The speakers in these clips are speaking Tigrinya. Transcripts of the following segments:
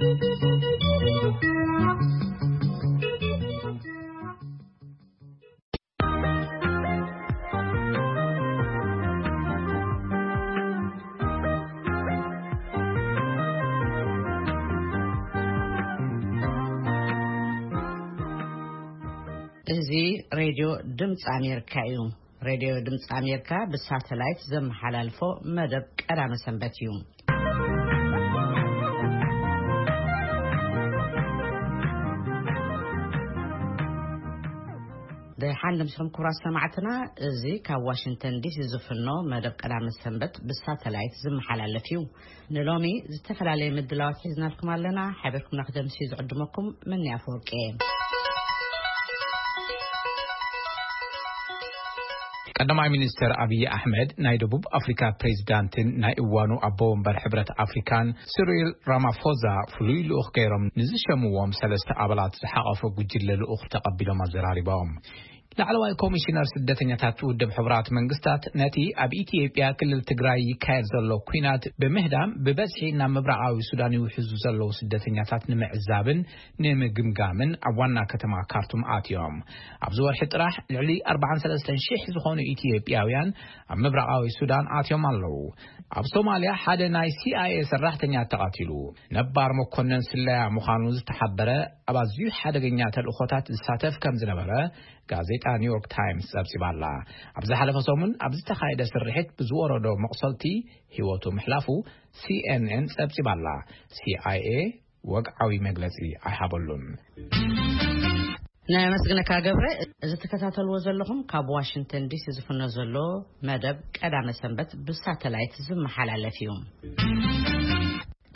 እዚ ሬድዮ ድምፂ ኣሜሪካ እዩ። ሬድዮ ድምፂ ኣሜሪካ ብሳተላይት ዘመሓላልፎ መደብ ቀዳመ ሰንበት እዩ። ደሓን ደምስኹም ክቡራት ሰማዕትና፣ እዚ ካብ ዋሽንግተን ዲሲ ዝፍኖ መደብ ቀዳመ ሰንበት ብሳተላይት ዝመሓላለፍ እዩ። ንሎሚ ዝተፈላለየ ምድላዋት ሒዝናልኩም ኣለና። ሓቢርኩም ንክደምሲ ዝዕድመኩም መኒ ኣፈወርቂ እየ። ቀዳማይ ሚኒስትር ኣብይ ኣሕመድ ናይ ደቡብ ኣፍሪካ ፕሬዚዳንትን ናይ እዋኑ ኣቦ ወንበር ሕብረት ኣፍሪካን ሲሪል ራማፎዛ ፍሉይ ልኡኽ ገይሮም ንዝሸምዎም ሰለስተ ኣባላት ዝሓቐፈ ጉጅለ ልኡኽ ተቐቢሎም ኣዘራሪቦም። ላዕለዋይ ኮሚሽነር ስደተኛታት ውድብ ሕቡራት መንግስታት ነቲ ኣብ ኢትዮጵያ ክልል ትግራይ ይካየድ ዘሎ ኲናት ብምህዳም ብበዝሒ ናብ ምብራቓዊ ሱዳን ይውሕዙ ዘለዉ ስደተኛታት ንምዕዛብን ንምግምጋምን ኣብ ዋና ከተማ ካርቱም ኣትዮም። ኣብዚ ወርሒ ጥራሕ ልዕሊ ኣርባዓን ሰለስተን ሽሕ ዝኾኑ ኢትዮጵያውያን ኣብ ምብራቓዊ ሱዳን ኣትዮም ኣለዉ። ኣብ ሶማልያ ሓደ ናይ ሲ ኣይ ኤ ሰራሕተኛ ተቐቲሉ። ነባር መኮነን ስለያ ምዃኑ ዝተሓበረ ኣብ ኣዝዩ ሓደገኛ ተልእኾታት ዝሳተፍ ከም ዝነበረ ጋዜጣ ኒውዮርክ ታይምስ ጸብጺባ ኣላ። ኣብ ዝሓለፈ ሰሙን ኣብ ዝተኻየደ ስርሒት ብዝወረዶ መቑሰልቲ ህይወቱ ምሕላፉ ሲ ኤን ኤን ጸብጺባ ኣላ። ሲ ኣይ ኤ ወግዓዊ መግለጺ ኣይሃበሉን። ነመስግነካ ገብረ። እዚ ትከታተልዎ ዘለኹም ካብ ዋሽንግተን ዲሲ ዝፍኖ ዘሎ መደብ ቀዳመ ሰንበት ብሳተላይት ዝመሓላለፍ እዩ።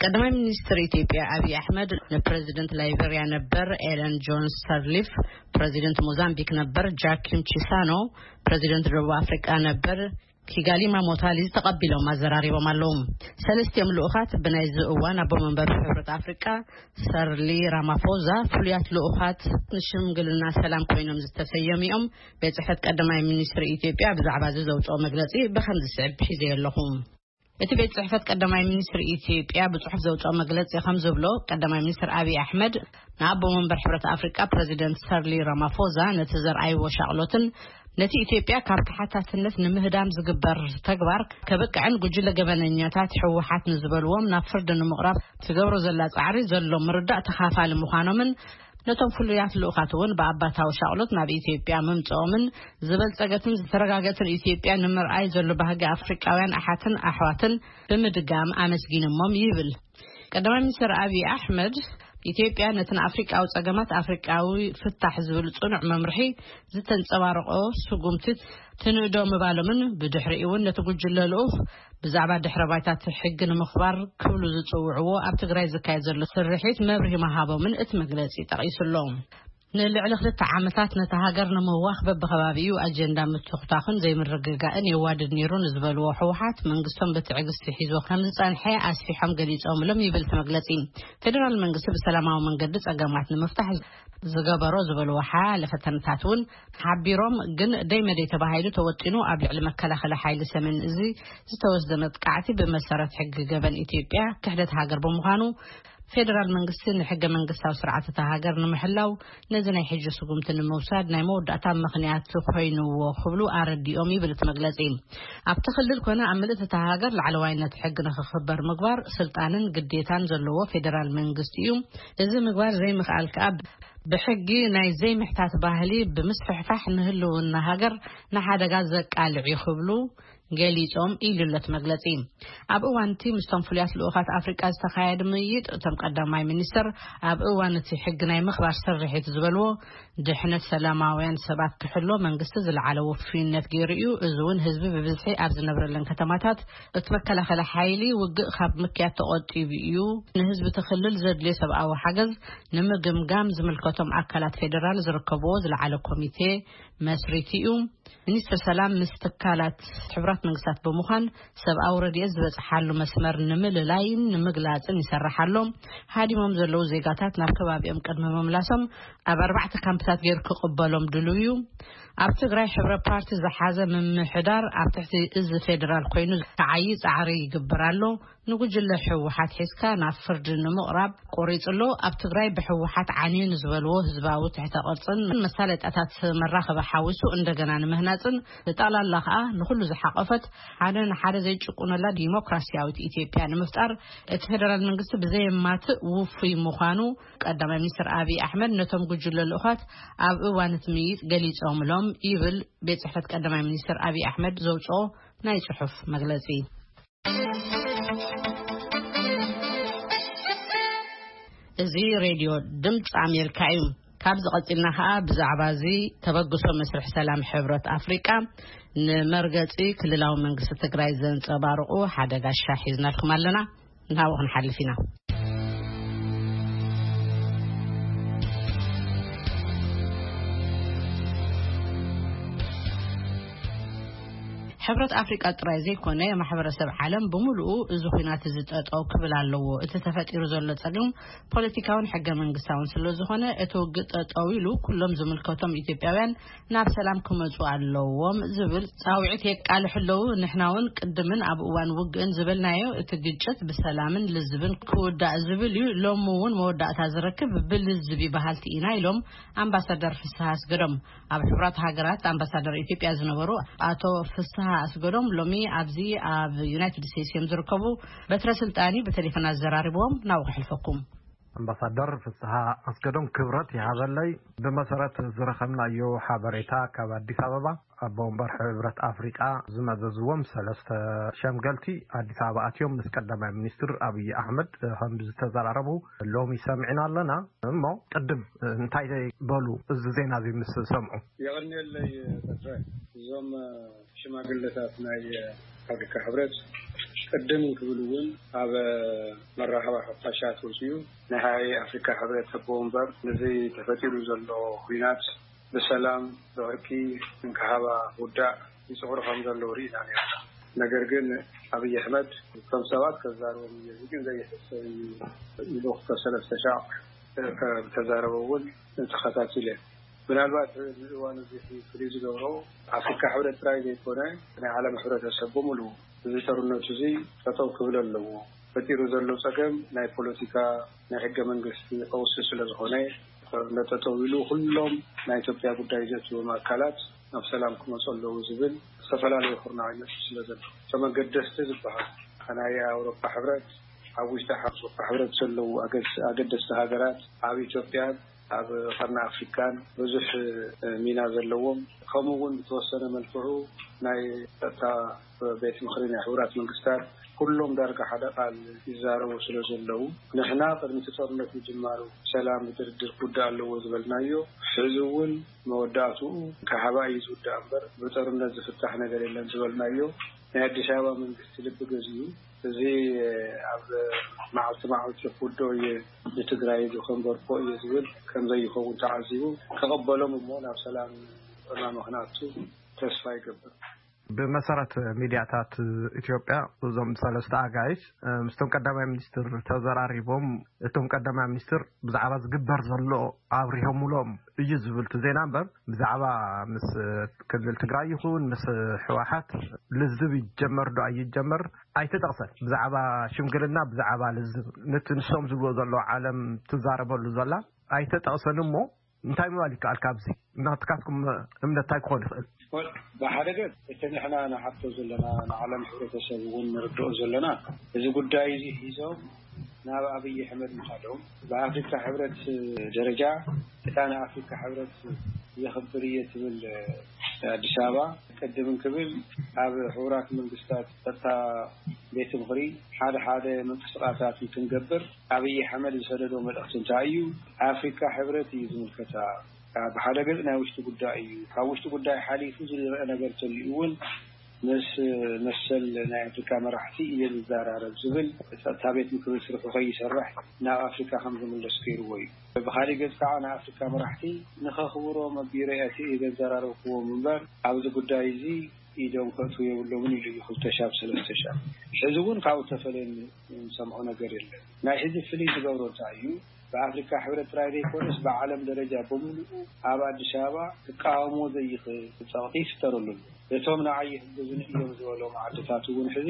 ቀዳማይ ሚኒስትር ኢትዮጵያ ኣብይ ኣሕመድ ንፕሬዚደንት ላይቤሪያ ነበር ኤለን ጆንስ ሰርሊፍ፣ ፕሬዚደንት ሞዛምቢክ ነበር ጃኪም ቺሳኖ፣ ፕሬዚደንት ደቡብ ኣፍሪቃ ነበር ኪጋሊማ ሞታሊ ተቐቢሎም ኣዘራሪቦም ኣለዉ። ሰለስቲኦም ልኡኻት ብናይዚ እዋን ኣቦ መንበር ሕብረት ኣፍሪቃ ሰርሊ ራማፎዛ ፍሉያት ልኡኻት ንሽምግልና ሰላም ኮይኖም ዝተሰየሙ እዮም። ቤት ጽሕፈት ቀዳማይ ሚኒስትር ኢትዮጵያ ብዛዕባ እዚ ዘውፅኦ መግለጺ ብኸም ዝስዕብ ሒዘ ኣለኹ። እቲ ቤት ጽሕፈት ቀዳማይ ሚኒስትር ኢትዮጵያ ብጽሑፍ ዘውፅኦ መግለጺ ከም ዝብሎ፣ ቀዳማይ ሚኒስትር ኣብይ ኣሕመድ ንኣቦ መንበር ሕብረት ኣፍሪቃ ፕሬዚደንት ሰርሊ ራማፎዛ ነቲ ዘርኣይዎ ሻቕሎትን ነቲ ኢትዮጵያ ካብ ተሓታትነት ንምህዳም ዝግበር ተግባር ከብቅዕን ጉጅለ ገበነኛታት ህወሓት ንዝበልዎም ናብ ፍርዲ ንምቕራብ ትገብሮ ዘላ ጻዕሪ ዘሎ ምርዳእ ተኻፋሊ ምዃኖምን ነቶም ፍሉያት ልኡኻት እውን ብኣባታዊ ሻቕሎት ናብ ኢትዮጵያ ምምጽኦምን ዝበልጸገትን ዝተረጋገትን ኢትዮጵያ ንምርኣይ ዘሎ ባህጊ ኣፍሪቃውያን ኣሓትን ኣሕዋትን ብምድጋም ኣመስጊኖሞም ይብል። ቀዳማይ ሚኒስትር ኣብይ ኣሕመድ ኢትዮጵያ ነቲ ንኣፍሪቃዊ ጸገማት ኣፍሪቃዊ ፍታሕ ዝብል ጽኑዕ መምርሒ ዝተንጸባረቆ ስጉምቲ ትንእዶ ምባሎምን ብድሕሪኡ እውን ነቲ ጉጅለ ልኡኽ ብዛዕባ ድሕረ ባይታ እቲ ሕጊ ንምኽባር ክብሉ ዝጽውዕዎ ኣብ ትግራይ ዝካየድ ዘሎ ስርሒት መብርሂ ምሃቦምን እቲ መግለጺ ጠቒሱ ኣሎ። ንልዕሊ ክልተ ዓመታት ነታ ሃገር ንምህዋኽ በብኸባቢኡ ኣጀንዳ ምትኹታኽን ዘይምርግጋእን የዋድድ ነይሩ ንዝበልዎ ህወሓት መንግስቶም ብትዕግስቲ ሒዝዎ ከም ዝጸንሐ ኣስፊሖም ገሊጾምሎም ይብል እቲ መግለጺ። ፌደራል መንግስቲ ብሰላማዊ መንገዲ ጸገማት ንምፍታሕ ዝገበሮ ዝበልዎ ሓያለ ፈተነታት እውን ሓቢሮም፣ ግን ደይ መደይ ተባሂሉ ተወጢኑ ኣብ ልዕሊ መከላኸሊ ሓይሊ ሰሜን እዚ ዝተወስደ መጥቃዕቲ ብመሰረት ሕጊ ገበን ኢትዮጵያ ክሕደት ሃገር ብምዃኑ ፌደራል መንግስቲ ንሕገ መንግስታዊ ስርዓት እታ ሃገር ንምሕላው ነዚ ናይ ሕጂ ስጉምቲ ንምውሳድ ናይ መወዳእታ ምኽንያት ኮይንዎ ክብሉ ኣረዲኦም ይብል እቲ መግለጺ። ኣብቲ ክልል ኮነ ኣብ ምልእቲ እታ ሃገር ላዕለዋይነት ሕጊ ንክኽበር ምግባር ስልጣንን ግዴታን ዘለዎ ፌደራል መንግስቲ እዩ። እዚ ምግባር ዘይምኽኣል ከኣ ብሕጊ ናይ ዘይምሕታት ባህሊ ብምስፍሕፋሕ ንህልውና ሃገር ንሓደጋ ዘቃልዕ እዩ ክብሉ ገሊጾም ኢሉ ኣሎ እቲ መግለጺ። ኣብ እዋን እቲ ምስቶም ፍሉያት ልኡኻት ኣፍሪቃ ዝተኻየደ ምይይጥ እቶም ቀዳማይ ሚኒስትር ኣብ እዋን እቲ ሕጊ ናይ ምኽባር ስርሒት ዝበልዎ ድሕነት ሰላማውያን ሰባት ክሕሎ መንግስቲ ዝለዓለ ውፍይነት ገይሩ እዩ። እዚ እውን ህዝቢ ብብዝሒ ኣብ ዝነብረለን ከተማታት እቲ መከላኸሊ ሓይሊ ውግእ ካብ ምክያድ ተቆጢቡ እዩ። ንህዝቢ እቲ ክልል ዘድልዮ ሰብኣዊ ሓገዝ ንምግምጋም ዝምልከቶም ኣካላት ፌደራል ዝርከብዎ ዝለዓለ ኮሚቴ መስሪቱ እዩ። ሚኒስትር ሰላም ምስ ትካላት ሕቡራት መንግስታት ብምዃን ሰብኣዊ ረድኤት ዝበጽሓሉ መስመር ንምልላይን ንምግላጽን ይሰርሕ ኣሎ። ሃዲሞም ዘለዉ ዜጋታት ናብ ከባቢኦም ቅድሚ ምምላሶም ኣብ ኣርባዕተ ካምፕታት ገይሩ ክቕበሎም ድልው እዩ። ኣብ ትግራይ ሕብረ ፓርቲ ዝሓዘ ምምሕዳር ኣብ ትሕቲ እዚ ፌደራል ኮይኑ ክዓዪ ጻዕሪ ይግበር ኣሎ። ንጉጅለ ህወሓት ሒዝካ ናብ ፍርዲ ንምቕራብ ቆሪጹ ኣሎ። ኣብ ትግራይ ብህወሓት ዓንዩ ንዝበልዎ ህዝባዊ ትሕተ ቅርጽን መሳለጣታት መራኸቢ ሓዊሱ እንደገና ንምህናጽን ብጠቕላላ ከኣ ንኹሉ ዝሓቆፈት ሓደ ንሓደ ዘይጭቁነላ ዲሞክራሲያዊት ኢትዮጵያ ንምፍጣር እቲ ፌደራል መንግስቲ ብዘየማትእ ውፉይ ምዃኑ ቀዳማይ ሚኒስትር ኣብይ ኣሕመድ ነቶም ጉጅለ ልኡኻት ኣብ እዋን እቲ ምይይጥ ገሊጾምሎም ይብል ቤት ጽሕፈት ቀዳማይ ሚኒስትር ኣብይ ኣሕመድ ዘውጽኦ ናይ ጽሑፍ መግለጺ። እዚ ሬድዮ ድምፂ ኣሜሪካ እዩ። ካብዚ ቀፂልና ከዓ ብዛዕባ እዚ ተበግሶ መስርሕ ሰላም ሕብረት ኣፍሪቃ ንመርገፂ ክልላዊ መንግስቲ ትግራይ ዘንፀባርቑ ሓደ ጋሻ ሒዝናልኩም ኣለና። ናብኡ ክንሓልፍ ኢና። ሕብረት ኣፍሪቃ ጥራይ ዘይኮነ ማሕበረሰብ ዓለም ብምሉኡ እዚ ኩናት እዚ ጠጠው ክብል ኣለዎ። እቲ ተፈጢሩ ዘሎ ጸገም ፖለቲካውን ሕገ መንግስታውን ስለ ዝኾነ እቲ ውግእ ጠጠው ኢሉ ኩሎም ዝምልከቶም ኢትዮጵያውያን ናብ ሰላም ክመጹ ኣለዎም ዝብል ጻውዒት የቃልሑ ኣለዉ። ንሕና እውን ቅድምን ኣብ እዋን ውግእን ዝበልናዮ እቲ ግጭት ብሰላምን ልዝብን ክውዳእ ዝብል እዩ። ሎሚ እውን መወዳእታ ዝረክብ ብልዝብ ይበሃልቲ ኢና ኢሎም ኣምባሳደር ፍስሃ ኣስገዶም። ኣብ ሕቡራት ሃገራት ኣምባሳደር ኢትዮጵያ ዝነበሩ ኣቶ ፍስሃ ኣስገዶም ሎሚ ኣብዚ ኣብ ዩናይትድ ስቴትስ እዮም ዝርከቡ። በትረ ስልጣኒ ብቴሌፎን ኣዘራሪብዎም ናብኡ ከሕልፈኩም። ኣምባሳደር ፍስሃ ኣስገዶም ክብረት ይሃበለይ። ብመሰረት ዝረኸብናዮ ሓበሬታ ካብ ኣዲስ ኣበባ ኣቦ ወንበር ሕብረት ኣፍሪቃ ዝመዘዝዎም ሰለስተ ሸምገልቲ ኣዲስ ኣበባ ኣትዮም ምስ ቀዳማይ ሚኒስትር ኣብይ ኣሕመድ ከም ዝተዘራረቡ ሎሚ ሰሚዕና ኣለና። እሞ ቅድም እንታይ በሉ እዚ ዜና እዚ ምስ ሰምዑ? የቐንየለይ በትረ። እዞም ሽማግለታት ናይ ኣፍሪካ ሕብረት ቅድም ክብል እውን ኣብ መራኸቢ ሓፋሻት ወፅዩ ናይ ኣፍሪካ ሕብረት ኣቦ ወንበር ነዚ ተፈጢሩ ዘሎ ኩናት ብሰላም ብዕርቂ እንክሃባ ውዳእ ይፅዕሩ ከም ዘለዉ ርኢና ነርና። ነገር ግን ኣብይ ኣሕመድ ከም ሰባት ከዛርቦም እየ፣ እዚ ግን ዘይሕሰብ እዩ ኢሉ ክልተ ሰለስተ ሻዕ ከም ተዛረበ እውን ተኸታቲለ። ምናልባት እዚ እዋን እዚ ፍልይ ዝገብሮ ኣፍሪካ ሕብረት ጥራይ ዘይኮነ ናይ ዓለም ሕብረተሰብ ብምሉኡ እዚ ጦርነቱ እዚ ጠጠው ክብል ኣለዎ። ፈጢሩ ዘሎ ጸገም ናይ ፖለቲካ ናይ ሕገ መንግስቲ ቀውሲ ስለ ዝኾነ ጦርነት ጠጠው ኢሉ ኩሎም ናይ ኢትዮጵያ ጉዳይ ዘእትዎም ኣካላት ናብ ሰላም ክመፁ ኣለዉ ዝብል ዝተፈላለዩ ኩርናዕ ይመፅእ ስለ ዘሎ እቶም ኣገደስቲ ዝበሃል ናይ ኣውሮፓ ሕብረት ኣብ ውሽጢ ኣውሮፓ ሕብረት ዘለዉ ኣገደስቲ ሃገራት ኣብ ኢትዮጵያን ኣብ ቀርኒ ኣፍሪካን ብዙሕ ሚና ዘለዎም ከምኡ እውን ብተወሰነ መልክዑ ናይ ጸጥታ ቤት ምኽሪ ናይ ሕቡራት መንግስታት ኩሎም ዳርጋ ሓደ ቃል ይዛረቡ ስለ ዘለዉ ንሕና ቅድሚ እቲ ጦርነት ምጅማሩ ሰላም ብድርድር ክውዳእ ኣለዎ ዝበልናዮ ሕዚ እውን መወዳእትኡ ካህባ እዩ ዝውዳእ እምበር ብጦርነት ዝፍታሕ ነገር የለን ዝበልናዮ ናይ ኣዲስ ኣበባ መንግስቲ ልቢ ገዚኡ እዚ ኣብ መዓልቲ መዓልቲ ክውድኦ እየ ንትግራይ ዝኸንበርኮ እየ ዝብል ከም ዘይኸውን ተዓዚቡ ክቕበሎም እሞ ናብ ሰላም ዕማሚ ክንኣቱ ተስፋ ይገብር። ብመሰረት ሚድያታት ኢትዮጵያ እዞም ሰለስተ ኣጋይሽ ምስቶም ቀዳማይ ሚኒስትር ተዘራሪቦም እቶም ቀዳማይ ሚኒስትር ብዛዕባ ዝግበር ዘሎ ኣብሪሆምሎም እዩ ዝብል እቲ ዜና እምበር ብዛዕባ ምስ ክልል ትግራይ ይኹን ምስ ህወሓት ልዝብ ይጀመር ዶ ኣይጀመር ኣይተጠቕሰን። ብዛዕባ ሽምግልና ብዛዕባ ልዝብ ነቲ ንሶም ዝብልዎ ዘለዉ ዓለም ትዛረበሉ ዘላ ኣይተጠቕሰን እሞ እንታይ ምባል ይከኣል? ካብዚ ናትካትኩም እምነት እንታይ ክኾን ይኽእል? ብሓደ ገፅ እቲ ንሕና ንሓቶ ዘለና ንዓለም ሕብረተሰብ እውን ንርድኦ ዘለና እዚ ጉዳይ እዚ ሒዞም ናብ ኣብይ ኣሕመድ ምኻዶም ብኣፍሪካ ሕብረት ደረጃ እታ ንኣፍሪካ ሕብረት የኽብር እየ ትብል ኣዲስ ኣበባ ቅድም እንክብል ኣብ ሕቡራት መንግስታት ጸጥታ ቤት ምኽሪ ሓደ ሓደ ምንቅስቃሳት እንትንገብር ኣብይ ኣሕመድ ዝሰደዶ መልእኽቲ እንታይ እዩ? ኣፍሪካ ሕብረት እዩ ዝምልከታ። ብሓደ ገፅ ናይ ውሽጢ ጉዳይ እዩ። ካብ ውሽጢ ጉዳይ ሓሊፉ ዝረአ ነገር ተልዩ እውን ምስ መሰል ናይ ኣፍሪካ መራሕቲ እየ ዝዘራረብ ዝብል ጸጥታ ቤት ምክሪ ስርሑ ከይሰርሕ ናብ ኣፍሪካ ከም ዝምለስ ገይርዎ እዩ። ብካሊእ ገፅ ከዓ ንኣፍሪካ መራሕቲ ንኸኽብሮም ኣቢረ እቲ እየ ዘዘራረብክዎም እምበር ኣብዚ ጉዳይ እዚ ኢዶም ከእትዉ የብሎምን ኢሉ እዩ ክልተ ሻብ ሰለስተ ሻብ። ሕዚ እውን ካብኡ ተፈለየ ንሰምዖ ነገር የለን። ናይ ሕዚ ፍልይ ዝገብሮ እንታይ እዩ? ብኣፍሪካ ሕብረት ጥራይ ዘይኮነስ ብዓለም ደረጃ ብምሉኡ ኣብ ኣዲስ ኣበባ ክቃወሞ ዘይኽእል ጸቕጢ ይፍጠረሉ ኣሎ። እቶም ንዓይ ይሕግዙኒ እዮም ዝበሎም ዓድታት እውን ሕዚ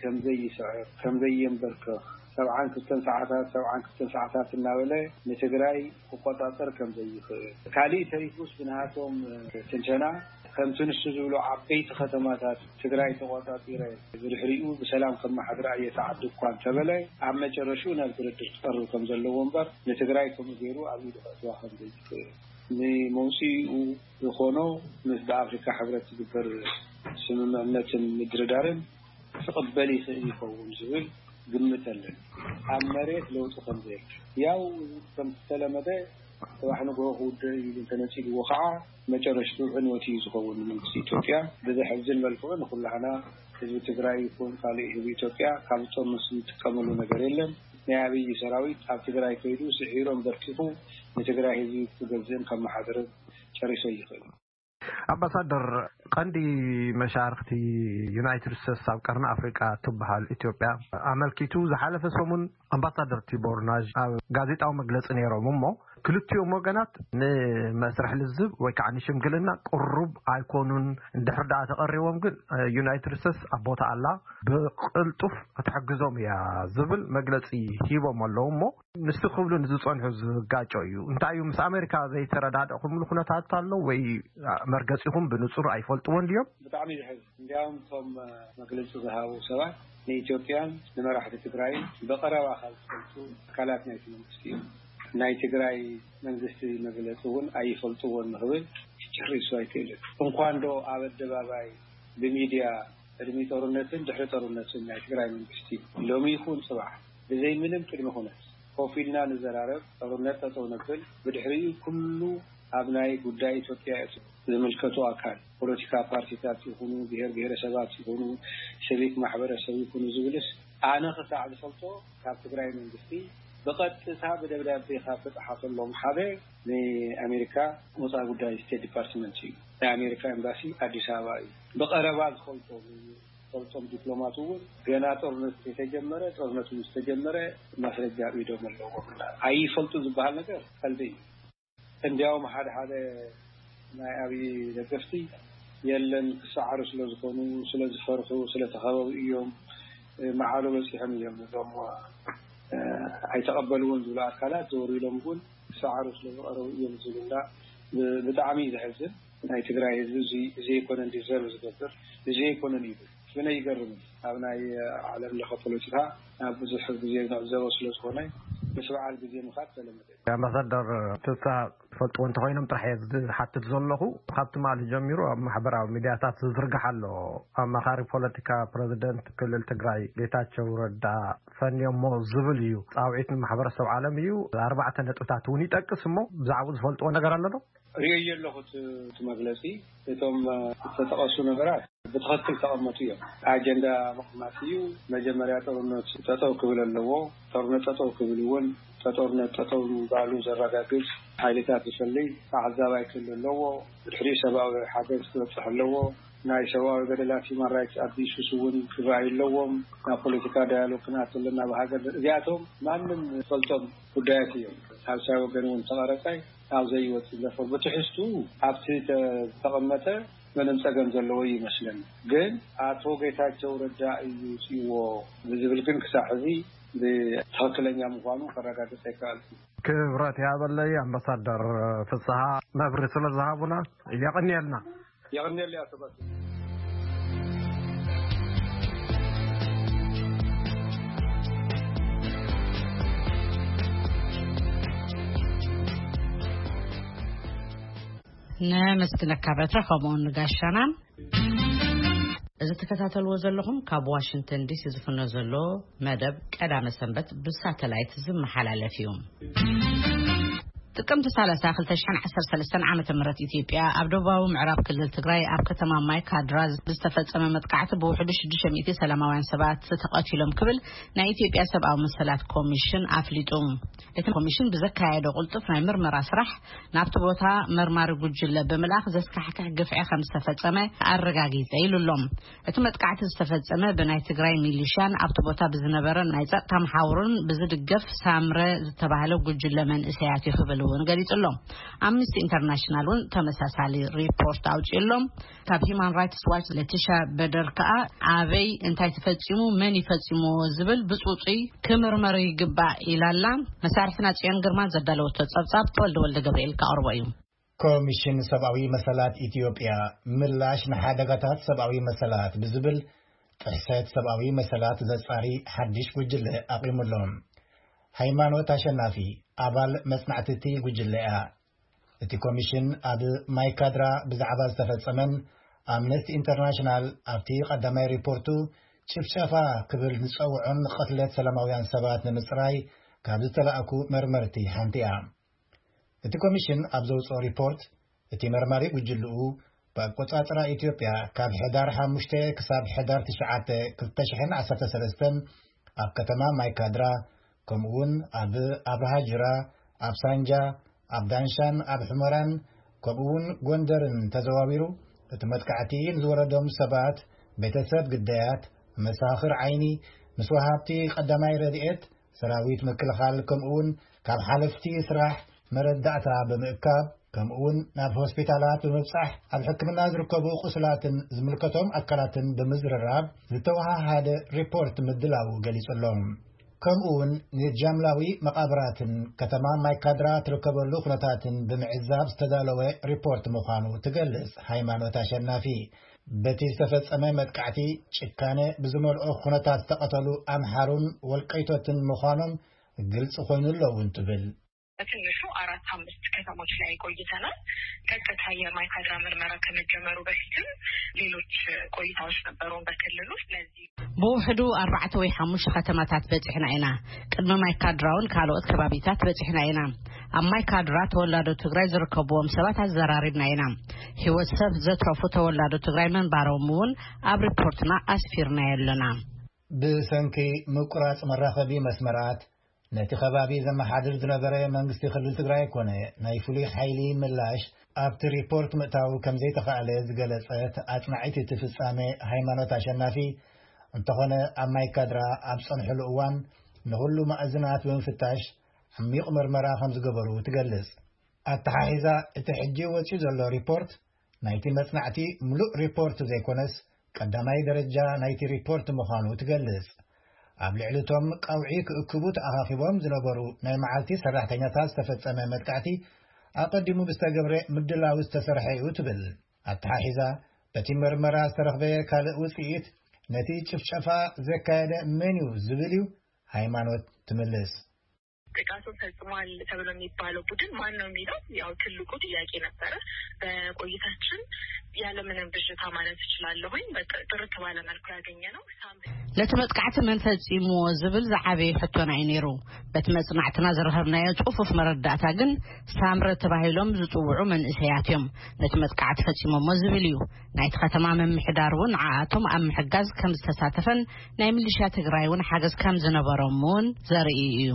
ከም ዘይስዕር፣ ከም ዘየንበርከኽ፣ ሰብዓን ክልተን ሰዓታት፣ ሰብዓን ክልተን ሰዓታት እናበለ ንትግራይ ክቆጻጸር ከም ዘይኽእል፣ ካሊእ ተሪፉስ ብናሃቶም ትንተና ከምቲ ንሱ ዝብሎ ዓበይቲ ከተማታት ትግራይ ተቆጻጺረ ብድሕሪኡ ብሰላም ከመሓድራ እየ ተዓዲ እኳ እንተበለ፣ ኣብ መጨረሽኡ ናብ ድርድር ክቐርብ ከም ዘለዎ እምበር ንትግራይ ከምኡ ገይሩ ኣብ ኢዱ ከእትዋ ከም ዘይኽእል፣ ንመውፅኢኡ ዝኾኖ ምስ ብኣፍሪካ ሕብረት ዝግበር ስምምዕነትን ምድርዳርን ክቕበል ይኽእል ይኸውን ዝብል ግምት ኣለን። ኣብ መሬት ለውጢ ከም ዘየለ፣ ያው ከም ዝተለመደ፣ ጽባሕ ንግሆ ክውድእ እዩ ኢሉ እንተነጺግዎ ከዓ፣ መጨረሽትኡ ዕንወት እዩ ዝኸውን ንመንግስቲ ኢትዮጵያ። ብዘሕዝን መልክዑ ንኩላህና ህዝቢ ትግራይ ይኹን ካልእ ህዝቢ ኢትዮጵያ ካብ ጦር ምስ ዝጥቀመሉ ነገር የለን። ናይ ኣብይ ሰራዊት ኣብ ትግራይ ከይዱ ስዒሮም በርኪኹ ንትግራይ ህዝቢ ክገዝእን ከመሓድርን ጨሪሶ ይኽእል። ኣምባሳደር፣ ቀንዲ መሻርክቲ ዩናይትድ ስቴትስ ኣብ ቀርኒ ኣፍሪቃ ትበሃል ኢትዮጵያ ኣመልኪቱ ዝሓለፈ ሰሙን ኣምባሳደር ቲቦር ናዥ ኣብ ጋዜጣዊ መግለፂ ነይሮም እሞ፣ ክልቲኦም ወገናት ንመስርሕ ልዝብ ወይ ከዓ ንሽምግልና ቅሩብ ኣይኮኑን፣ እንድሕር ደኣ ተቐሪቦም ግን ዩናይትድ ስቴትስ ኣብ ቦታ ኣላ፣ ብቅልጡፍ ክትሕግዞም እያ ዝብል መግለፂ ሂቦም ኣለዉ እሞ፣ ንሱ ክብሉ ንዝጸንሑ ዝጋጮ እዩ። እንታይ እዩ፣ ምስ ኣሜሪካ ዘይተረዳድእኩምሉ ኩነታት ኣሎ ወይ መርገጺኹም ብንጹር ኣይፈልጥዎን ድዮም? ብጣዕሚ እዩ ዘሕዝን። እንዲያውም እቶም መግለጺ ዝሃቡ ሰባት ንኢትዮጵያን ንመራሕቲ ትግራይን ብቐረባ ካብ ዝፈልጡ ኣካላት ናይቲ መንግስቲ እዮም። ናይ ትግራይ መንግስቲ መግለጺ እውን ኣይፈልጥዎን ንኽብል ጨሪሱ ኣይክእልን። እንኳን ዶ ኣብ ኣደባባይ ብሚድያ ቅድሚ ጦርነትን ድሕሪ ጦርነትን ናይ ትግራይ መንግስቲ ሎሚ ይኹን ጽባሕ ብዘይ ምንም ቅድመ ኩነት ኮፍ ኢልና ንዘራረብ፣ ጦርነት ጠጠው ነብል፣ ብድሕሪኡ ኩሉ ኣብ ናይ ጉዳይ ኢትዮጵያ ዝምልከቱ ኣካል፣ ፖለቲካ ፓርቲታት ይኹኑ፣ ብሄር ብሄረሰባት ይኹኑ፣ ሲቪክ ማሕበረሰብ ይኹኑ ዝብልስ ኣነ ክሳዕ ዝፈልጦ ካብ ትግራይ መንግስቲ ብቐጥታ ብደብዳቤ ካብ ተጻሓፈሎም ሓደ ንኣሜሪካ ወፃኢ ጉዳይ ስቴት ዲፓርትመንት እዩ። ናይ ኣሜሪካ ኤምባሲ ኣዲስ ኣበባ እዩ። ብቐረባ ዝፈልጦ ዝፈልጦም ዲፕሎማት እውን ገና ጦርነት ዝተጀመረ፣ ጦርነቱ ምስ ተጀመረ ማስረጃ ኣብ ኢዶም ኣለዎም። ኣይፈልጡ ዝበሃል ነገር ቀልዲ እዩ። እንዲያውም ሓደ ሓደ ናይ ኣብይ ደገፍቲ የለን ክሰዓሩ ስለ ዝኾኑ፣ ስለ ዝፈርሑ፣ ስለ ተኸበቡ እዮም፣ መዓሉ በፂሖም እዮም እዞም፣ እ፣ ኣይተቐበልዎን ዝብሉ ኣካላት ዘወር ኢሎም እውን ክሰዓሩ ስለ ዝቐረቡ እዮም ዝብላ ብ-፣ ብጣዕሚ እዩ ዘሕዝን። ናይ ትግራይ ህዝቢ እዚ፣ እዚ ኣይኮነን ዲዘርቭ ዝገብር፣ እዚ ኣይኮነን እዩ። ብነ ይገርም እዩ። ኣብ ናይ ዓለም ለኸ ፖለቲካ ኣብ ብዙሕ ግዜ ንዕዘቦ ስለ ዝኾነ ምስ በዓል ግዜ ምኻድ ተለመደ እዩ። ኣምባሳደር ፍስሃ ትፈልጥዎ እንተኾይኖም ጥራሕ እየ ዝሓትት ዘለኹ። ካብ ትማሊ ጀሚሩ ኣብ ማሕበራዊ ሚድያታት ዝዝርጋሕ ኣሎ። ኣማኻሪ ፖለቲካ ፕረዚደንት ክልል ትግራይ ጌታቸው ረዳ ፈንዮሞ ዝብል እዩ። ጻውዒት ንማሕበረሰብ ዓለም እዩ። ኣርባዕተ ነጥብታት እውን ይጠቅስ እሞ ብዛዕባኡ ዝፈልጥዎ ነገር ኣሎ ዶ? ርእዮ ኣለኹ እቲ፣ እቲ መግለጺ። እቶም ዝተጠቐሱ ነገራት ብትኽክል ተቐመጡ እዮም። ኣጀንዳ ምቕማጥ እዩ። መጀመርያ ጦርነት ጠጠው ክብል ኣለዎ። ጦርነት ጠጠው ክብል እውን፣ ጦርነት ጠጠው ምባሉ ዘረጋግጽ ሓይልታት ዝፈልይ ተዓዛባይ ክህሉ ኣለዎ። ብድሕሪኡ ሰብኣዊ ሓገዝ ክበጽሕ ኣለዎ። ናይ ሰብኣዊ በደላት ሂማን ራይትስ ኣቢዩስስ እውን ክረኣዩ ኣለዎም። ናብ ፖለቲካ ዳያሎግ ክንኣቱ ኣለና። ብሃገር እዚኣቶም ማንም ዝፈልጦም ጉዳያት እዮም። ሳልሳይ ወገን እውን ተቐረጸ ኣብ ዘይወጽእ ዘፈር ብትሕዝቱ ኣብቲ ዝተቐመጠ ምንም ጸገም ዘለዎ ይመስለኒ። ግን ኣቶ ጌታቸው ረዳ እዩ ውጽእዎ ብዝብል ግን ክሳዕ ሕዚ ብትኽክለኛ ምዃኑ ከረጋግጽ ኣይከኣልኩ። ክብረት ያበለይ ኣምባሳደር ፍስሃ መብሪ ስለ ዝሃቡና የቐንየልና። የቐንየለይ ኣቶ ባሱ። ነመስግነካ በትረ፣ ከምኡውን ንጋሻናን። እዚ ትከታተልዎ ዘለኹም ካብ ዋሽንግተን ዲሲ ዝፍኖ ዘሎ መደብ ቀዳመ ሰንበት ብሳተላይት ዝመሓላለፍ እዩ። ጥቅምቲ ሰላሳ ክልተ ሽሕን ዓሰርተ ሰለስተን ዓመተ ምህረት ኢትዮጵያ ኣብ ደቡባዊ ምዕራብ ክልል ትግራይ ኣብ ከተማ ማይ ካድራ ዝተፈጸመ መጥቃዕቲ ብውሕዱ ሽዱሽተ ሚእቲ ሰላማውያን ሰባት ተቐቲሎም ክብል ናይ ኢትዮጵያ ሰብኣዊ መሰላት ኮሚሽን ኣፍሊጡ። እቲ ኮሚሽን ብዘካየዶ ቅልጡፍ ናይ ምርመራ ስራሕ ናብቲ ቦታ መርማሪ ጉጅለ ብምልኣኽ ዘስካሕክሕ ግፍዒ ከም ዝተፈጸመ ኣረጋጊጸ ኢሉ ኣሎ። እቲ መጥቃዕቲ ዝተፈጸመ ብናይ ትግራይ ሚሊሻን ኣብቲ ቦታ ብዝነበረ ናይ ጸጥታ መሓውርን ብዝድገፍ ሳምረ ዝተባህለ ጉጅለ መንእሰያት እዩ ክብል እውን ገሊጹ ኣሎ። ኣምነስቲ ኢንተርናሽናል እውን ተመሳሳሊ ሪፖርት ኣውጺኡ ኣሎ። ካብ ሂማን ራይትስ ዋች ለቲሻ በደር ከኣ ኣበይ እንታይ ተፈጺሙ፣ መን ይፈጺምዎ ዝብል ብጽጹይ ክምርመር ይግባእ ኢላላ። መሳርሕትና ጽዮን ግርማ ዘዳለወቶ ጸብጻብ ተወልደ ወልደ ገብርኤል ከቕርቦ እዩ። ኮሚሽን ሰብኣዊ መሰላት ኢትዮጵያ ምላሽ ንሓደጋታት ሰብኣዊ መሰላት ብዝብል ጥሕሰት ሰብኣዊ መሰላት ዘጻሪ ሓድሽ ጉጅለ ኣቒሙሎም። ሃይማኖት ኣሸናፊ ኣባል መጽናዕቲ እቲ ጉጅለ እያ። እቲ ኮሚሽን ኣብ ማይካድራ ብዛዕባ ዝተፈጸመን ኣምነስቲ ኢንተርናሽናል ኣብቲ ቀዳማይ ሪፖርቱ ጭፍጨፋ ክብል ዝጸውዖን ቅትለት ሰላማውያን ሰባት ንምጽራይ ካብ ዝተላእኩ መርመርቲ ሓንቲ እያ። እቲ ኮሚሽን ኣብ ዘውጽኦ ሪፖርት፣ እቲ መርማሪ ጉጅልኡ ብኣቆጻጽራ ኢትዮጵያ ካብ ሕዳር ሓሙሽተ ክሳብ ሕዳር ትሽዓተ ክልተ ሽሕን ዓሰርተ ሰለስተን ኣብ ከተማ ማይካድራ፣ ከምኡውን ኣብ ኣብርሃ ጅራ፣ ኣብ ሳንጃ፣ ኣብ ዳንሻን ኣብ ሑመራን ከምኡውን ጎንደርን ተዘዋዊሩ፣ እቲ መጥቃዕቲ ንዝወረዶም ሰባት፣ ቤተሰብ ግዳያት፣ መሳኽር ዓይኒ፣ ምስ ወሃብቲ ቀዳማይ ረድኤት፣ ሰራዊት ምክልኻል ከምኡውን ካብ ሓለፍቲ ስራሕ መረዳእታ ብምእካብ ከምኡውን ናብ ሆስፒታላት ብምብጻሕ ኣብ ሕክምና ዝርከቡ ቁስላትን ዝምልከቶም ኣካላትን ብምዝርራብ ዝተወሃሃደ ሪፖርት ምድላው ገሊጹ ኣሎ። ከምኡውን ንጃምላዊ መቓብራትን ከተማ ማይካድራ ትርከበሉ ኩነታትን ብምዕዛብ ዝተዳለወ ሪፖርት ምዃኑ ትገልጽ ሃይማኖት ኣሸናፊ። በቲ ዝተፈጸመ መጥቃዕቲ ጭካነ ብዝመልኦ ኩነታት ዝተቐተሉ ኣምሓሩን ወልቀይቶትን ምዃኖም ግልጽ ኮይኑ ኣሎ እውን ትብል። በትንሹ አራት አምስት ከተሞች ላይ ቆይተናል። ቀጥታ የማይካድራ ምርመራ ከመጀመሩ በፊትም ሌሎች ቆይታዎች ነበሩን በክልሉ። ስለዚህ ብውሕዱ ኣርባዕተ ወይ ሓሙሽተ ከተማታት በጺሕና ኢና። ቅድሚ ማይካድራውን ካልኦት ከባቢታት በጺሕና ኢና። ኣብ ማይካድራ ተወላዶ ትግራይ ዝርከብዎም ሰባት ኣዘራሪብና ኢና። ህይወት ሰብ ዘትረፉ ተወላዶ ትግራይ ምንባሮም እውን ኣብ ሪፖርትና ኣስፊርናዮ ኣለና። ብሰንኪ ምቁራጽ መራኸቢ መስመራት ነቲ ከባቢ ዘመሓድር ዝነበረ መንግስቲ ክልል ትግራይ ኮነ ናይ ፍሉይ ሓይሊ ምላሽ ኣብቲ ሪፖርት ምእታው ከም ዘይተኻእለ ዝገለጸት ኣጽናዒት እቲ ፍጻመ ሃይማኖት ኣሸናፊ፣ እንተኾነ ኣብ ማይ ካድራ ኣብ ጸንሕሉ እዋን ንኹሉ ማእዝናት ብምፍታሽ ዓሚቕ መርመራ ከም ዝገበሩ ትገልጽ። ኣተሓሒዛ እቲ ሕጂ ወጺኡ ዘሎ ሪፖርት ናይቲ መጽናዕቲ ምሉእ ሪፖርት ዘይኮነስ ቀዳማይ ደረጃ ናይቲ ሪፖርት ምዃኑ ትገልጽ። ኣብ ልዕሊ እቶም ቀውዒ ክእክቡ ተኣኻኺቦም ዝነበሩ ናይ መዓልቲ ሰራሕተኛታት ዝተፈጸመ መጥቃዕቲ ኣቐዲሙ ብዝተገብረ ምድላው ዝተሰርሐ እዩ ትብል። ኣተሓሒዛ በቲ መርመራ ዝተረኽበ ካልእ ውጽኢት ነቲ ጭፍጨፋ ዘካየደ መን እዩ ዝብል እዩ ሃይማኖት ትምልስ። ጥቃቱን ፈጽሟል ተብሎ የሚባለው ቡድን ማን ነው የሚለው ያው ትልቁ ጥያቄ ነበረ። በቆይታችን ያለምንም ብዥታ ማለት እችላለሁኝ ጥርት ባለ መልኩ ያገኘ ነው። ለቲ መጥቃዕቲ መን ፈጺምዎ ዝብል ዝዓበየ ሕቶና እዩ ነይሩ። በቲ መጽናዕትና ዝረኸብናዮ ጽፉፍ መረዳእታ ግን ሳምረ ተባሂሎም ዝጽውዑ መንእሰያት እዮም ነቲ መጥቃዕቲ ፈጺሞሞ ዝብል እዩ። ናይቲ ከተማ ምምሕዳር እውን ንዓኣቶም ኣብ ምሕጋዝ ከም ዝተሳተፈን ናይ ሚሊሽያ ትግራይ እውን ሓገዝ ከም ዝነበሮም እውን ዘርኢ እዩ።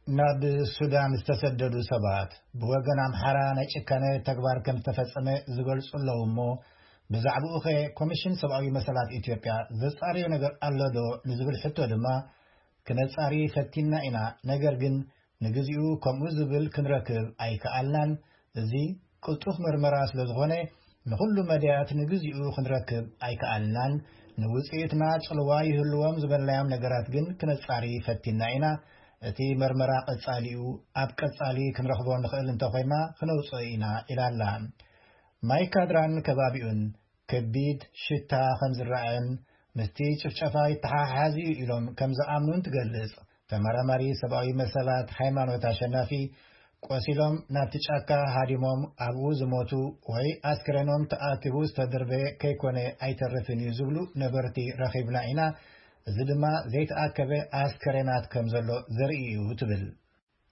ናብ ሱዳን ዝተሰደዱ ሰባት ብወገን ኣምሓራ ናይ ጭካነ ተግባር ከም ዝተፈጸመ ዝገልጹ ኣለዉ እሞ፣ ብዛዕባኡ ኸ ኮሚሽን ሰብኣዊ መሰላት ኢትዮጵያ ዘጻረዮ ነገር ኣሎ ዶ ንዝብል ሕቶ ድማ፣ ክነጻሪ ፈቲና ኢና፣ ነገር ግን ንግዚኡ ከምኡ ዝብል ክንረክብ ኣይከኣልናን። እዚ ቅልጡፍ መርመራ ስለ ዝኾነ ንኹሉ መዳያት ንግዚኡ ክንረክብ ኣይከኣልናን። ንውጽኢትና ጽልዋ ይህልዎም ዝበልናዮም ነገራት ግን ክነጻሪ ፈቲና ኢና። እቲ መርመራ ቀጻሊኡ ኣብ ቀጻሊ ክንረኽቦ ንኽእል እንተኾይና ክነውጽኦ ኢና ኢላ ኣላ። ማይ ካድራን ከባቢኡን ከቢድ ሽታ ከም ዝረኣየን ምስቲ ጭፍጨፋ ይተሓሓዝ እዩ ኢሎም ከም ዝኣምኑን ትገልጽ። ተመራማሪ ሰብኣዊ መሰላት ሃይማኖት ኣሸናፊ ቆሲሎም ናብቲ ጫካ ሃዲሞም ኣብኡ ዝሞቱ ወይ ኣስክሬኖም ተኣኪቡ ዝተደርበየ ከይኮነ ኣይተርፍን እዩ ዝብሉ ነበርቲ ረኺብና ኢና። እዚ ድማ ዘይተኣከበ ኣስከሬናት ከም ዘሎ ዘርኢ እዩ ትብል።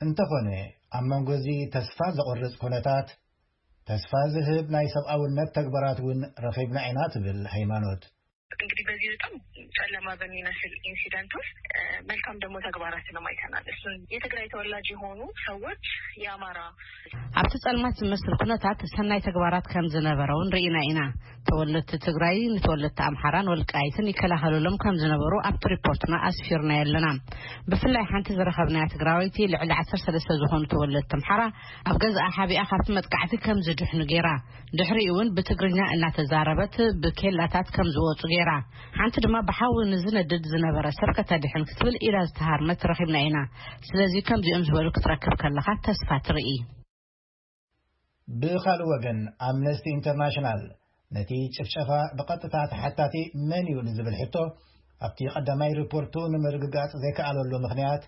እንተኾነ ኣብ መንጎ እዚ ተስፋ ዘቑርጽ ኩነታት ተስፋ ዝህብ ናይ ሰብኣውነት ተግባራት እውን ረኺብና ኢና ትብል ሃይማኖት። እንግዲህ በዚህ በጣም ጨለማ በሚመስል ኢንሲደንት ውስጥ መልካም ደግሞ ተግባራትንም አይተናል። እሱን የትግራይ ተወላጅ የሆኑ ሰዎች የአማራ፣ ኣብቲ ጸልማት ዝመስል ኩነታት ሰናይ ተግባራት ከም ዝነበረ እውን ርኢና ኢና። ተወለድቲ ትግራይ ንተወለድቲ ኣምሓራን ወልቃይትን ይከላኸሉሎም ከም ዝነበሩ ኣብቲ ሪፖርትና ኣስፊርና ኣለና። ብፍላይ ሓንቲ ዝረኸብናያ ትግራወይቲ ልዕሊ ዓሰርተ ሰለስተ ዝኾኑ ተወለድቲ ኣምሓራ ኣብ ገዛኣ ሓቢኣ ካብቲ መጥቃዕቲ ከም ዝድሕኑ ገይራ፣ ድሕሪኡ እውን ብትግርኛ እናተዛረበት ብኬላታት ከም ዝወፁ ገይራ፣ ሓንቲ ድማ ብሓዊ ንዝነድድ ዝነበረ ሰብ ከተድሕን ክትብል ኢዳ ዝተሃርመት ረኺብና ኢና። ስለዚ ከምዚኦም ዝበሉ ክትረክብ ከለኻ ተስፋ ትርኢ። ብኻልእ ወገን፣ ኣምነስቲ ኢንተርናሽናል ነቲ ጭፍጨፋ ብቐጥታ ተሓታቲ መን እዩ ንዝብል ሕቶ ኣብቲ ቀዳማይ ሪፖርቱ ንምርግጋጽ ዘይከኣለሉ ምኽንያት፣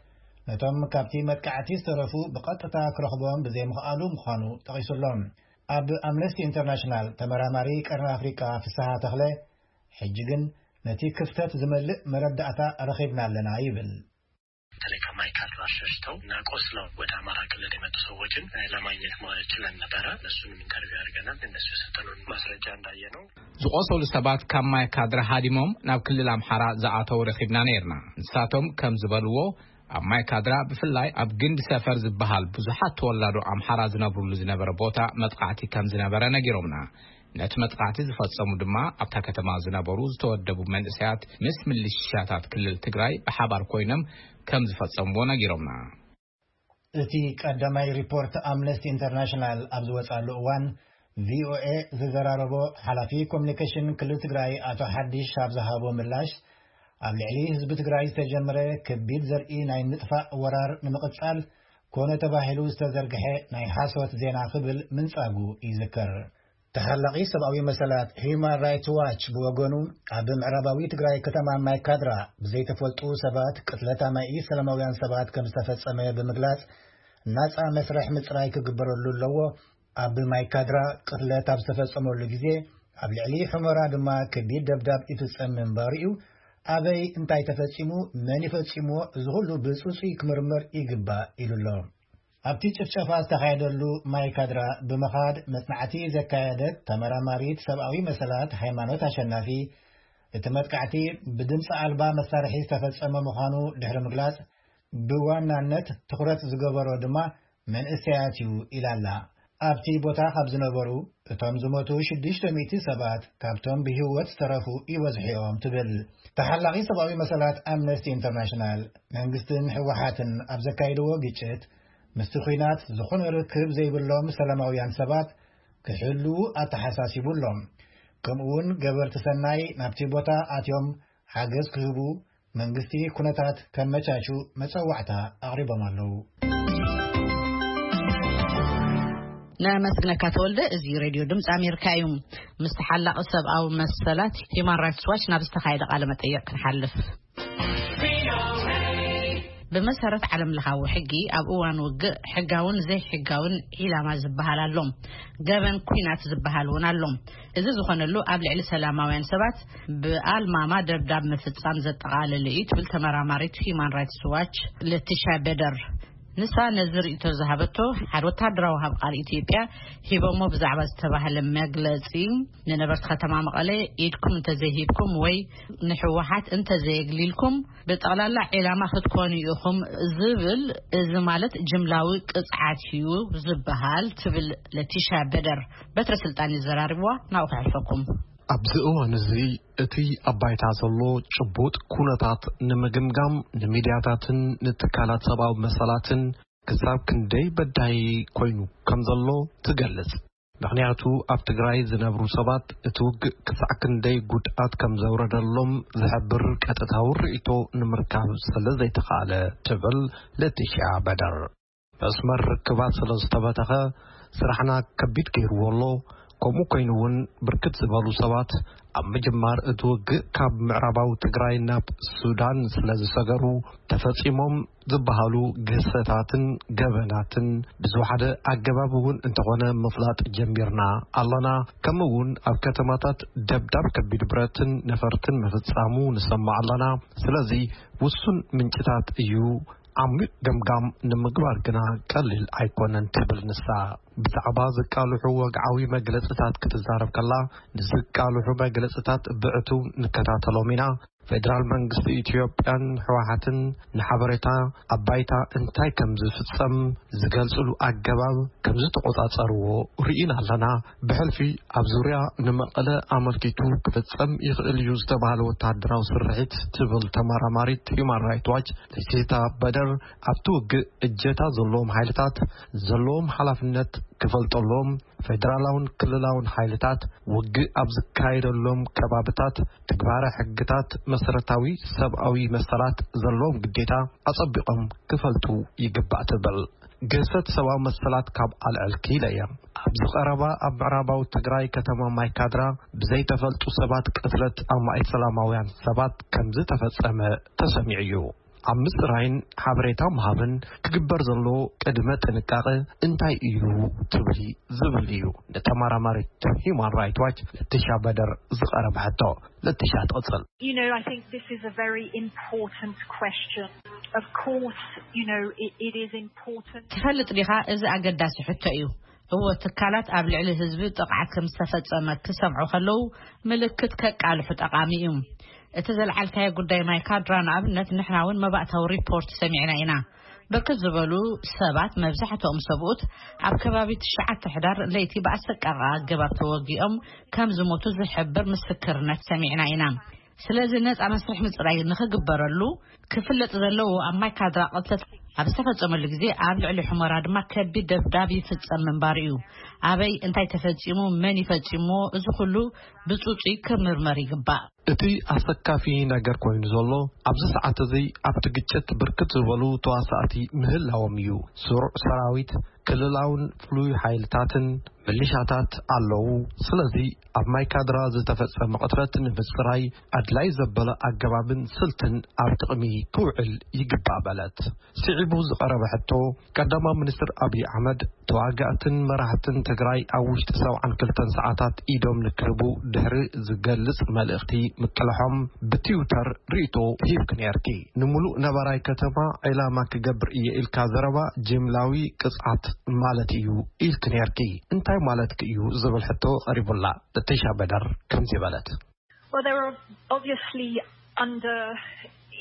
ነቶም ካብቲ መጥቃዕቲ ዝተረፉ ብቐጥታ ክረኽቦም ብዘይምኽኣሉ ምዃኑ ጠቒሱሎም። ኣብ ኣምነስቲ ኢንተርናሽናል ተመራማሪ ቀርኒ ኣፍሪቃ ፍስሃ ተኽለ፣ ሕጂ ግን ነቲ ክፍተት ዝመልእ መረዳእታ ረኺብና ኣለና ይብል። በተለይ ከማይካድራ ሸሽተው እና ቆስለው ወደ አማራ ክልል የመጡ ሰዎችን ለማግኘት ችለን ነበረ። እነሱንም ኢንተርቪው አድርገናል። እነሱ የሰጠኑን ማስረጃ እንዳየ ነው። ዝቆሰሉ ሰባት ካብ ማይካድራ ሃዲሞም ናብ ክልል ኣምሓራ ዝኣተው ረኺብና ነይርና። ንሳቶም ከም ዝበልዎ፣ ኣብ ማይካድራ፣ ብፍላይ ኣብ ግንዲ ሰፈር ዝበሃል ብዙሓት ተወላዶ ኣምሓራ ዝነብሩሉ ዝነበረ ቦታ መጥቃዕቲ ከም ዝነበረ ነጊሮምና። ነቲ መጥቃዕቲ ዝፈጸሙ ድማ ኣብታ ከተማ ዝነበሩ ዝተወደቡ መንእሰያት ምስ ምልሻታት ክልል ትግራይ ብሓባር ኮይኖም ከም ዝፈጸምዎ ነጊሮምና። እቲ ቀዳማይ ሪፖርት ኣምነስቲ ኢንተርናሽናል ኣብ ዝወጻሉ እዋን፣ ቪኦኤ ዝዘራረቦ ሓላፊ ኮሚኒኬሽን ክልል ትግራይ ኣቶ ሓዲሽ ኣብ ዝሃቦ ምላሽ፣ ኣብ ልዕሊ ህዝቢ ትግራይ ዝተጀመረ ከቢድ ዘርኢ ናይ ምጥፋእ ወራር ንምቕጻል ኮነ ተባሂሉ ዝተዘርግሐ ናይ ሓሶት ዜና ክብል ምንጻጉ ይዝከር። ተሓላቒ ሰብኣዊ መሰላት ሂዩማን ራይትስ ዋች ብወገኑ፣ ኣብ ምዕራባዊ ትግራይ ከተማ ማይካድራ ብዘይተፈልጡ ሰባት ቅትለት ኣማኢት ሰላማውያን ሰባት ከም ዝተፈጸመ ብምግላጽ፣ ናጻ መስርሕ ምጽራይ ክግበረሉ ኣለዎ። ኣብ ማይካድራ ቅትለት ኣብ ዝተፈጸመሉ ግዜ፣ ኣብ ልዕሊ ሑመራ ድማ ከቢድ ደብዳብ ይፍጸም ምንባሩ እዩ። ኣበይ እንታይ ተፈጺሙ፣ መን ይፈጺምዎ፣ እዚ ኩሉ ብጽጹይ ክምርመር ይግባእ ኢሉ ኣሎ። ኣብቲ ጭፍጨፋ ዝተኻየደሉ ማይካድራ ብምኻድ መጽናዕቲ ዘካየደት ተመራማሪት ሰብኣዊ መሰላት ሃይማኖት ኣሸናፊ፣ እቲ መጥቃዕቲ ብድምፂ ኣልባ መሳርሒ ዝተፈጸመ ምዃኑ ድሕሪ ምግላጽ፣ ብዋናነት ትኹረት ዝገበሮ ድማ መንእሰያት እዩ ኢላ ኣላ። ኣብቲ ቦታ ካብ ዝነበሩ እቶም ዝሞቱ ሽዱሽተ ሚእቲ ሰባት ካብቶም ብህይወት ዝተረፉ ይበዝሑ እዮም ትብል። ተሓላቒ ሰብኣዊ መሰላት ኣምነስቲ ኢንተርናሽናል፣ መንግስትን ህወሓትን ኣብ ዘካይድዎ ግጭት ምስቲ ኲናት ዝኾነ ርክብ ዘይብሎም ሰላማውያን ሰባት ክሕልዉ ኣተሓሳሲቡ ኣሎ። ከምኡውን ገበርቲ ሰናይ ናብቲ ቦታ ኣትዮም ሓገዝ ክህቡ መንግስቲ ኩነታት ከመቻቹ መጸዋዕታ ኣቕሪቦም ኣለዉ። ነመስግነካ ተወልደ። እዚ ሬድዮ ድምፂ ኣሜሪካ እዩ። ምስ ተሓላቒ ሰብኣዊ መሰላት ሂማን ራይትስ ዋች ናብ ዝተኻየደ ቃለ መጠየቕ ክንሓልፍ። ብመሰረት ዓለም ለኻዊ ሕጊ ኣብ እዋን ውግእ ሕጋውን ዘይሕጋውን ዒላማ ዝበሃል ኣሎ። ገበን ኲናት ዝበሃል እውን ኣሎ። እዚ ዝኾነሉ ኣብ ልዕሊ ሰላማውያን ሰባት ብኣልማማ ደብዳብ ምፍጻም ዘጠቓልል እዩ ትብል ተመራማሪት ሂማን ራይትስ ዋች ለቲሻ በደር። ንሳ ነዚ ርእይቶ ዝሃበቶ ሓደ ወታደራዊ ሃብ ቃል ኢትዮጵያ ሂቦሞ ብዛዕባ ዝተባህለ መግለጺ፣ ንነበርቲ ከተማ መቐለ ኢድኩም እንተዘይሂብኩም ወይ ንህወሓት እንተዘየግሊልኩም ብጠቕላላ ዒላማ ክትኮኑ ኢኹም ዝብል፣ እዚ ማለት ጅምላዊ ቅፅዓት እዩ ዝበሃል ትብል ለቲሻ በደር። በትረ ስልጣን ይዘራርብዋ ናብኡ ከሕልፈኩም። ኣብዚ እዋን እዚ እቲ ኣብ ባይታ ዘሎ ጭቡጥ ኩነታት ንምግምጋም ንሚድያታትን ንትካላት ሰብኣዊ መሰላትን ክሳብ ክንደይ በዳሂ ኮይኑ ከም ዘሎ ትገልጽ። ምኽንያቱ ኣብ ትግራይ ዝነብሩ ሰባት እቲ ውግእ ክሳዕ ክንደይ ጉድኣት ከም ዘውረደሎም ዝሕብር ቀጥታዊ ርእይቶ ንምርካብ ስለ ዘይተኻእለ ትብል ለቲሽያ በደር። መስመር ርክባት ስለ ዝተበተኸ ስራሕና ከቢድ ገይርዎ ኣሎ። ከምኡ ኮይኑ እውን ብርክት ዝበሉ ሰባት ኣብ ምጅማር እቲ ውግእ ካብ ምዕራባዊ ትግራይ ናብ ሱዳን ስለ ዝሰገሩ ተፈጺሞም ዝበሃሉ ግህሰታትን ገበናትን ብዝወሓደ ኣገባብ እውን እንተኾነ ምፍላጥ ጀሚርና ኣለና። ከምኡ እውን ኣብ ከተማታት ደብዳብ ከቢድ ብረትን ነፈርትን ምፍጻሙ ንሰማዕ ኣለና። ስለዚ ውሱን ምንጭታት እዩ ዓሚቕ ገምጋም ንምግባር ግና ቀሊል ኣይኮነን ትብል ንሳ። ብዛዕባ ዝቃልሑ ወግዓዊ መግለጽታት ክትዛረብ ከላ፣ ንዝቃልሑ መግለጽታት ብዕቱብ ንከታተሎም ኢና። ፌደራል መንግስቲ ኢትዮጵያን ህወሓትን ንሓበሬታ ኣብ ባይታ እንታይ ከም ዝፍጸም ዝገልጽሉ ኣገባብ ከም ዝተቖጻጸርዎ ርኢና ኣለና። ብሕልፊ ኣብ ዙርያ ንመቐለ ኣመልኪቱ ክፍጸም ይኽእል እዩ ዝተባህለ ወተሃደራዊ ስርሒት ትብል ተመራማሪት ሂዩማን ራይት ዋች ለሲታ በደር፣ ኣብቲ ውግእ እጀታ ዘለዎም ሓይልታት ዘለዎም ሓላፍነት ክፈልጠሎም፣ ፌደራላውን ክልላውን ሓይልታት ውግእ ኣብ ዝካየደሎም ከባብታት ትግባረ ሕግታት መሰረታዊ ሰብኣዊ መሰላት ዘለዎም ግዴታ ኣጸቢቖም ክፈልጡ ይግባእ ትብል። ግህሰት ሰብኣዊ መሰላት ካብ ኣልዕልኪ ኢለ እየ። ኣብዚ ቀረባ ኣብ ምዕራባዊ ትግራይ ከተማ ማይካድራ ብዘይተፈልጡ ሰባት ቅትለት ኣማኢት ሰላማውያን ሰባት ከም ዝተፈጸመ ተሰሚዑ እዩ። ኣብ ምጽራይን ሓበሬታ ምሃብን ክግበር ዘለዎ ቅድመ ጥንቃቐ እንታይ እዩ ትብሊ ዝብል እዩ ንተመራማሪት ሂዩማን ራይት ዋች ለቲሻ በደር ዝቐረበ ሕቶ። ለቲሻ ትቕጽል። You know, I think this is a very important question. Of course, you know, it, it is important. ትፈልጥ ዲኻ? እዚ ኣገዳሲ ሕቶ እዩ። እወ፣ ትካላት ኣብ ልዕሊ ህዝቢ ጥቕዓት ከም ዝተፈጸመ ክሰምዑ ከለዉ ምልክት ከቃልሑ ጠቓሚ እዩ። እቲ ዘልዓልካዮ ጉዳይ ማይ ካድራ ንኣብነት ንሕና እውን መባእታዊ ሪፖርት ሰሚዕና ኢና። ብርክት ዝበሉ ሰባት፣ መብዛሕትኦም ሰብኡት፣ ኣብ ከባቢ ትሽዓተ ሕዳር ለይቲ ብኣሰቃቂ ኣገባብ ተወጊኦም ከም ዝሞቱ ዝሕብር ምስክርነት ሰሚዕና ኢና። ስለዚ ነጻ መስርሕ ምጽራይ ንኽግበረሉ ክፍለጥ ዘለዎ ኣብ ማይ ካድራ ቅትለት ኣብ ዝተፈጸመሉ ግዜ ኣብ ልዕሊ ሑመራ ድማ ከቢድ ደብዳብ ይፍጸም ምንባሩ እዩ። ኣበይ እንታይ ተፈጺሙ፣ መን ይፈጺምዎ፣ እዚ ኩሉ ብጽጹይ ክምርመር ይግባእ። እቲ ኣሰካፊ ነገር ኮይኑ ዘሎ ኣብዚ ሰዓት እዚ ኣብቲ ግጭት ብርክት ዝበሉ ተዋሳእቲ ምህላዎም እዩ። ስሩዕ ሰራዊት፣ ክልላውን ፍሉይ ሓይልታትን ምልሻታት ኣለዉ። ስለዚ ኣብ ማይ ካድራ ዝተፈጸመ ቅትለት ንምጽራይ ኣድላይ ዘበለ ኣገባብን ስልትን ኣብ ጥቕሚ ክውዕል ይግባእ በለት። ስዒቡ ዝቐረበ ሕቶ፣ ቀዳማዊ ሚኒስትር ኣብይ ኣሕመድ ተዋጋእትን መራሕትን ትግራይ ኣብ ውሽጢ ሰብዓን ክልተን ሰዓታት ኢዶም ንክህቡ ድሕሪ ዝገልጽ መልእኽቲ ምቅልሖም ብትዊተር ርእይቶ ሂብኪ ነይርኪ። ንምሉእ ነባራይ ከተማ ዒላማ ክገብር እየ ኢልካ ዘረባ ጅምላዊ ቅጽዓት ማለት እዩ ኢልኪ ነይርኪ። እንታይ ማለትኪ እዩ ዝብል ሕቶ ቀሪቡላ። ለቲሻ በደር ከምዚ በለት። Well, there are obviously under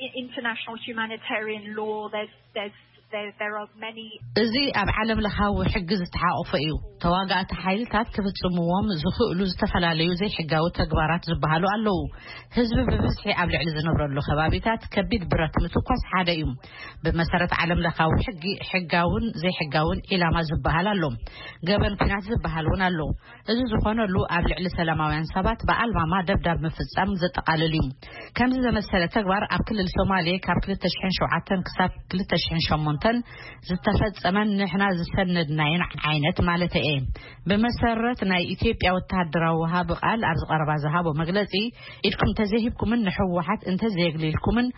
i- international humanitarian law, there's, there's, there, there are many. እዚ ኣብ ዓለም ለኻዊ ሕጊ ዝተሓቆፈ እዩ። ተዋጋእቲ ሓይልታት ክፍጽምዎም ዝኽእሉ ዝተፈላለዩ ዘይሕጋዊ ተግባራት ዝበሃሉ ኣለዉ። ህዝቢ ብብዝሒ ኣብ ልዕሊ ዝነብረሉ ከባቢታት ከቢድ ብረት ምትኳስ ሓደ እዩ። ብመሰረት ዓለም ለኻዊ ሕጊ ሕጋውን ዘይሕጋውን ዒላማ ዝበሃል ኣሎ። ገበን ኲናት ዝበሃል እውን ኣሎ። እዚ ዝኾነሉ ኣብ ልዕሊ ሰላማውያን ሰባት ብኣልማማ ደብዳብ ምፍጻም ዘጠቓልል እዩ። ከምዚ ዘመሰለ ተግባር ኣብ ክልል ሶማሌ ካብ ክልተ ሽሕን ሸውዓተን ክሳብ ክልተ ሽሕን ሸሞንተን ዝተፈጸመን ንሕና ዝሰነድናየን ዓይነት ማለት እየ። ብመሰረት ናይ ኢትዮጵያ ወተሃደራዊ ወሃቢ ቃል ኣብዚ ቀረባ ዝሃቦ መግለጺ፣ ኢድኩም እንተዘይሂብኩምን ንህወሓት እንተዘየግሊልኩምን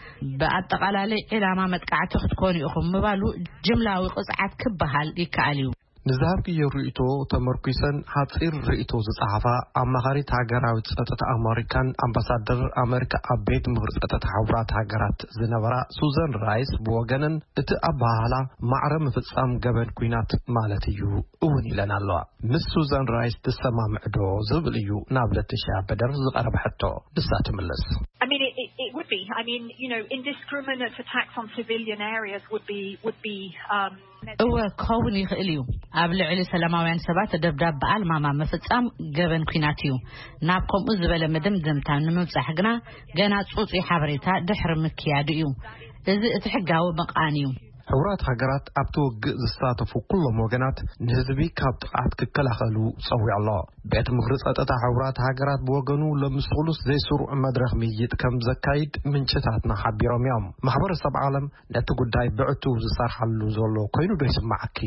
ብኣጠቓላሊ ዒላማ መጥቃዕቲ ክትኮኑ ኢኹም ምባሉ ጅምላዊ ቅጽዓት ክበሃል ይከኣል እዩ። ንዝሃብክዮ ርእይቶ ተመርኲሰን ሓጺር ርእይቶ ዝጸሓፋ ኣማኻሪት ሃገራዊ ጸጥታ ኣመሪካን ኣምባሳደር ኣመሪካ ኣብ ቤት ምኽሪ ጸጥታ ሕቡራት ሃገራት ዝነበራ ሱዛን ራይስ ብወገነን እቲ ኣበሃህላ ማዕረ ምፍጻም ገበን ኲናት ማለት እዩ እውን ኢለን ኣለዋ። ምስ ሱዛን ራይስ ትሰማምዕ ዶ ዝብል እዩ ናብ ለቲሻ በደር ዝቐረበ ሕቶ። ንሳ ትምልስ። I mean, it, it, it would be. I mean, you know, indiscriminate attacks on civilian areas would be would be. Um, እወ ክኸውን ይኽእል እዩ። ኣብ ልዕሊ ሰላማውያን ሰባት ደብዳብ ብኣልማማ ምፍጻም ገበን ኲናት እዩ። ናብ ከምኡ ዝበለ መደምደምታ ንምብጻሕ ግና ገና ጽጹይ ሓበሬታ ድሕሪ ምክያዱ እዩ። እዚ እቲ ሕጋዊ ምቕኣን እዩ። ሕቡራት ሃገራት ኣብቲ ውግእ ዝሳተፉ ኩሎም ወገናት ንህዝቢ ካብ ጥቕዓት ክከላኸሉ ጸዊዑ ኣሎ። ቤት ምኽሪ ጸጥታ ሕቡራት ሃገራት ብወገኑ ሎሚ ስሉስ ዘይስሩዕ መድረኽ ምይይጥ ከም ዘካይድ ምንጭታትና ሓቢሮም እዮም። ማሕበረሰብ ዓለም ነቲ ጉዳይ ብዕቱብ ዝሰርሓሉ ዘሎ ኮይኑ ዶ ይስማዓኪ?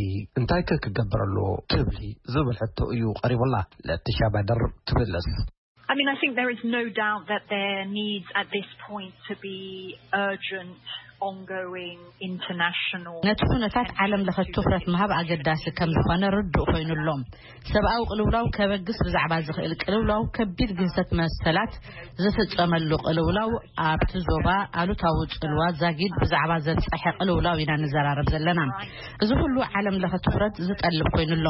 እንታይ ከ ክገብር ኣለዎ ትብሊ? ዝብል ሕቶ እዩ ቀሪቡላ። ለቲሻ በድር ትምልስ። I mean, I think there is no doubt that there needs at this point to be urgent ongoing international ነቲ ኩነታት ዓለም ለኸ ትኹረት ምሃብ ኣገዳሲ ከም ዝኾነ ርዱእ ኮይኑ ኣሎ። ሰብኣዊ ቅልውላው ከበግስ ብዛዕባ ዝኽእል ቅልውላው ከቢድ ግህሰት መሰላት ዝፍጸመሉ ቅልውላው ኣብቲ ዞባ ኣሉታዊ ጽልዋ ዛጊድ ብዛዕባ ዘብጸሐ ቅልውላው ኢና ንዘራረብ ዘለና። እዚ ኩሉ ዓለም ለኸ ትኹረት ዝጠልብ ኮይኑ ኣሎ።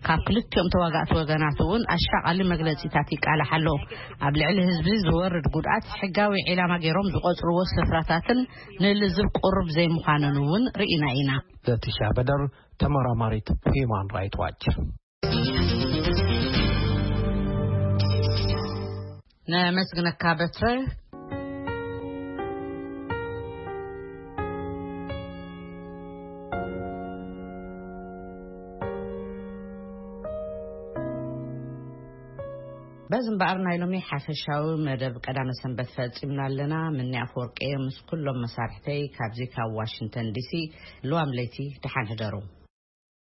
ካብ ክልቲኦም ተዋጋእቲ ወገናት እውን ኣሻቓሊ መግለጺታት ይቃላሕ ኣሎ። ኣብ ልዕሊ ህዝቢ ዝወርድ ጉድኣት ሕጋዊ ዒላማ ገይሮም ዝቆጽርዎ ስፍራታትን ንልዝብ ቁሩብ ዘይምዃኑን እውን ርኢና ኢና። ለቲሻ በደር፣ ተመራማሪት ሂዩማን ራይት ዋች። ነመስግነካ በትረ። በዚ እምበኣር ናይ ሎሚ ሓፈሻዊ መደብ ቀዳመ ሰንበት ፈጺምና ኣለና። ምኒ ኣፈወርቂ ምስ ኩሎም መሳርሕተይ ካብዚ ካብ ዋሽንግተን ዲሲ ልዋም ለይቲ ደሓን ሕደሩ።